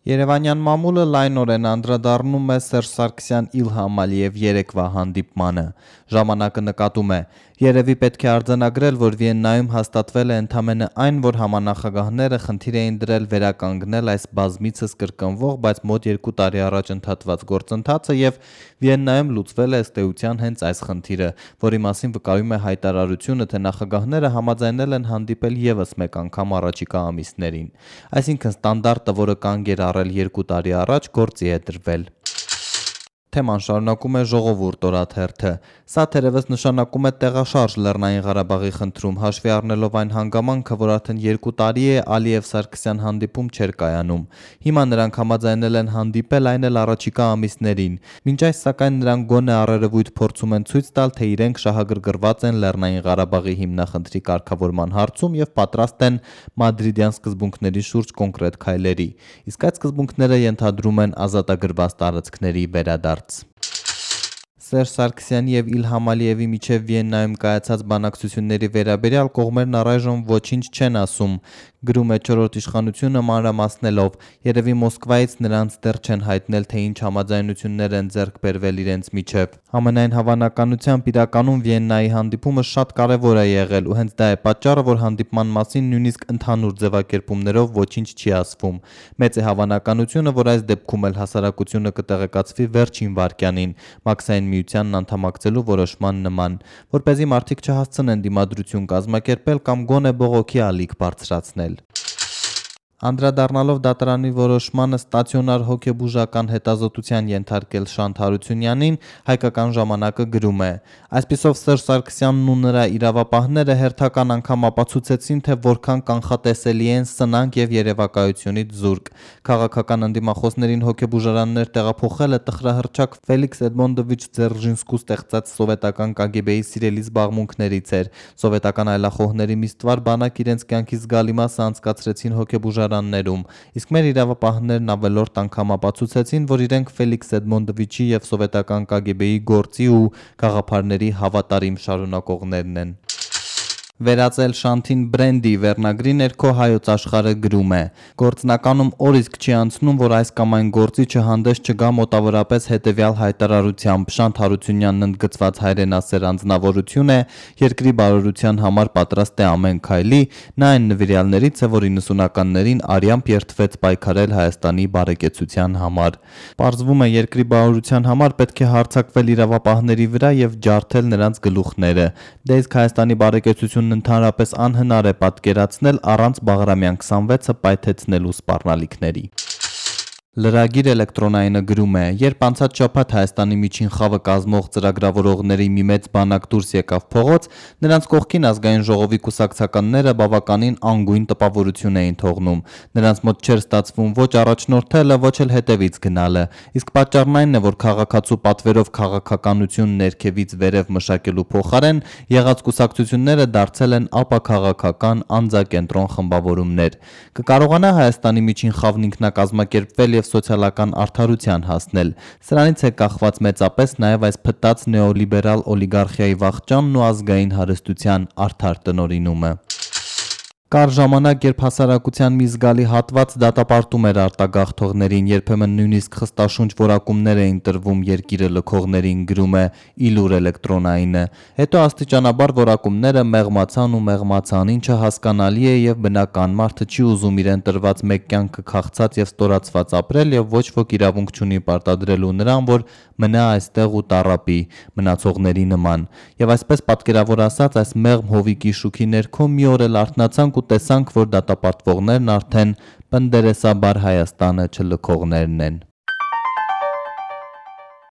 Երևանյան մամուլը լայնորեն անդրադառնում է Սերժ Սարգսյան-Իլհամ Ալիև երեկվա հանդիպմանը։ Ժամանակը նկատում է. երևի պետք է արձանագրել, որ Վիեննայում հաստատվել է ընդամենը այն, որ համանախագահները խնդիր էին դրել վերականգնել այս բազմիցս կրկնվող, բայց մոտ 2 տարի առաջ ընդհատված գործընթացը եւ Վիեննայում լուծվել է ըստ էության հենց այս խնդիրը, որի մասին վկայում է հայտարարությունը, թե նախագահները համաձայնել են հանդիպել եւս մեկ անգամ առաջիկա ամիսներին։ Այսինքն ստանդարտը, որը կանգ էր առել 2 տարի առաջ, գործի է դրվել։ Թեման շարունակում է Ժողովուրդ օրաթերթը։ Սա թերևս նշանակում է տեղաշարժ Լեռնային Ղարաբաղի խնդրում, հաշվի առնելով այն հանգամանքը, որ արդեն 2 տարի է Ալիև-Սարգսյան հանդիպում չէր կայանում։ Հիմա նրանք համաձայնել են հանդիպել, այն էլ առաջիկա ամիսներին։ Մինչ այս սակայն նրանք գոնե առերևույթ փորձում են ցույց տալ, թե իրենք շահագրգռված են Լեռնային Ղարաբաղի հիմնախնդրի կարգավորման հարցում եւ պատրաստ են մադրիդյան սկզբունքների շուրջ կոնկրետ քայլերի։ Իսկ այդ սկզբունքները ենթադրում են ազատագրված տարածքների վերադարձ։ Սերժ Սարգսյանի եւ Իլհամ Ալիևի միջև Վիեննայում կայացած բանակցությունների վերաբերյալ կողմերն առայժմ ոչինչ չեն ասում, գրում է Չորրորդ իշխանությունը մանրամասնելով, երևի Մոսկվայից նրանց դեռ չեն հայտնել, թե ինչ համաձայնություններ են ձեռք բերվել իրենց միջև։ Համենայն հավանականությամբ իրականում Վիեննայի հանդիպումը շատ կարևոր է եղել ու հենց դա է պատճառը, որ հանդիպման մասին նույնիսկ ընդհանուր ձևակերպումներով ոչինչ չի ասվում։ Մեծ է հավանականությունը, որ այս դեպքում էլ հասարակությունը կտեղեկացվի վերջին վայրկյանին, Մաքսային միությանն անդամակցելու որոշման նման, որպեսզի մարդիկ չհասցնեն դիմադրություն կազմակերպել կամ գոնե բողոքի ալիք բարձրացնել։ Անդրադառնալով դատարանի որոշմանը ստացիոնար հոգեբուժական հետազոտության ենթարկել Շանթ Հարությունյանին, Հայկական ժամանակը գրում է. Այսպիսով Սերժ Սարգսյանն ու նրա իրավապահները հերթական անգամ ապացուցեցին, թե որքան կանխատեսելի են սնանկ եւ երևակայությունից զուրկ։ Քաղաքական ընդդիմախոսներին հոգեբուժարաններ տեղափոխելը տխրահռչակ Ֆելիքս Էդմոնդովիչ Ձերժինսկու ստեղծած սովետական KGB-ի սիրելի զբաղմունքներից էր։ Սովետական այլախոհների միստվար բանակ իրենց կյանքի զգալի մասը անցկացրեցին հոգեբուժարաններում, իսկ մեր իրավապահներն ավելորդ անգամ ապացուցեցին, որ իրենք Ֆելիքս Էդմոնդովիչի եւ սովետական KGB-ի գործի ու գաղափարների հավատարիմ շարունակողներն են։ Վերածել Շանթին բրենդի վերնագրի ներքո Հայոց աշխարհը գրում է. Գործնականում օր իսկ չի անցնում, որ այս կամ այն գործի չհանդես չգա մոտավորապես հետևյալ հայտարարությամբ. Շանթ Հարությունյանն ընդգծված հայրենասեր անձնավորություն է, երկրի բարօրության համար պատրաստ է ամեն քայլի, նա այն նվիրյալներից է, որ 90-ականներին արյամբ երդվեց պայքարել Հայաստանի բարեկեցության համար։ Պարզվում է, երկրի բարօրության համար պետք է հարձակվել իրավապահների վրա եւ ջարդել նրանց գլուխները։ Դե իսկ Հայաստանի բարեկեցությունն ընդհանրապես անհնար է պատկերացնել առանց Բաղրամյան 26-ը պայթեցնելու սպառնալիքների։ Լրագիր էլեկտրոնայինը գրում է. երբ անցած շաբաթ Հայաստանի միջին խավը կազմող ծրագրավորողների մի մեծ բանակ դուրս եկավ փողոց, նրանց կողքին ազգային ժողովի կուսակցականները բավականին անգույն տպավորություն էին թողնում։ Նրանց մոտ չէր ստացվում ոչ առաջնորդելը, ոչ էլ հետևից գնալը։ Իսկ պատճառն այն է, որ քաղաքացու պատվերով քաղաքականություն ներքևից վերև մշակելու փոխարեն եղած կուսակցությունները դարձել են ապաքաղաքական անձակենտրոն խմբավորումներ։ Կկարողանա Հայաստանի միջին խավն ինքնակազմակերպվել սոցիալական արդարության հասնել։ Սրանից է կախված մեծապես նաև այս փտած նեոլիբերալ օլիգարխիայի վախճանն ու ազգային հարստության արդար տնօրինումը։ Կար ժամանակ, երբ հասարակության մի զգալի հատված դատապարտում էր արտագաղթողներին, երբեմն նույնիսկ խստաշունչ որակումներ էին տրվում երկիրը լքողներին, գրում է Իլուր էլեկտրոնայինը։ Հետո աստիճանաբար որակումները մեղմացան, ինչը հասկանալի է եւ բնական, մարդը չի ուզում իրեն տրված մեկ կյանքը քաղցած եւ ստորացված ապրել եւ ոչ ոք իրավունք չունի պարտադրելու նրան, որ մնա այստեղ ու տառապի մնացողների նման։ Եվ այսպես պատկերավոր ասած, այս մեղմ հովիկի շուքի ներքո մի օր էլ արթնացանք ու տեսանք, որ դատապարտվողներն արդեն պնդերեսաբար Հայաստանը չլքողներն են։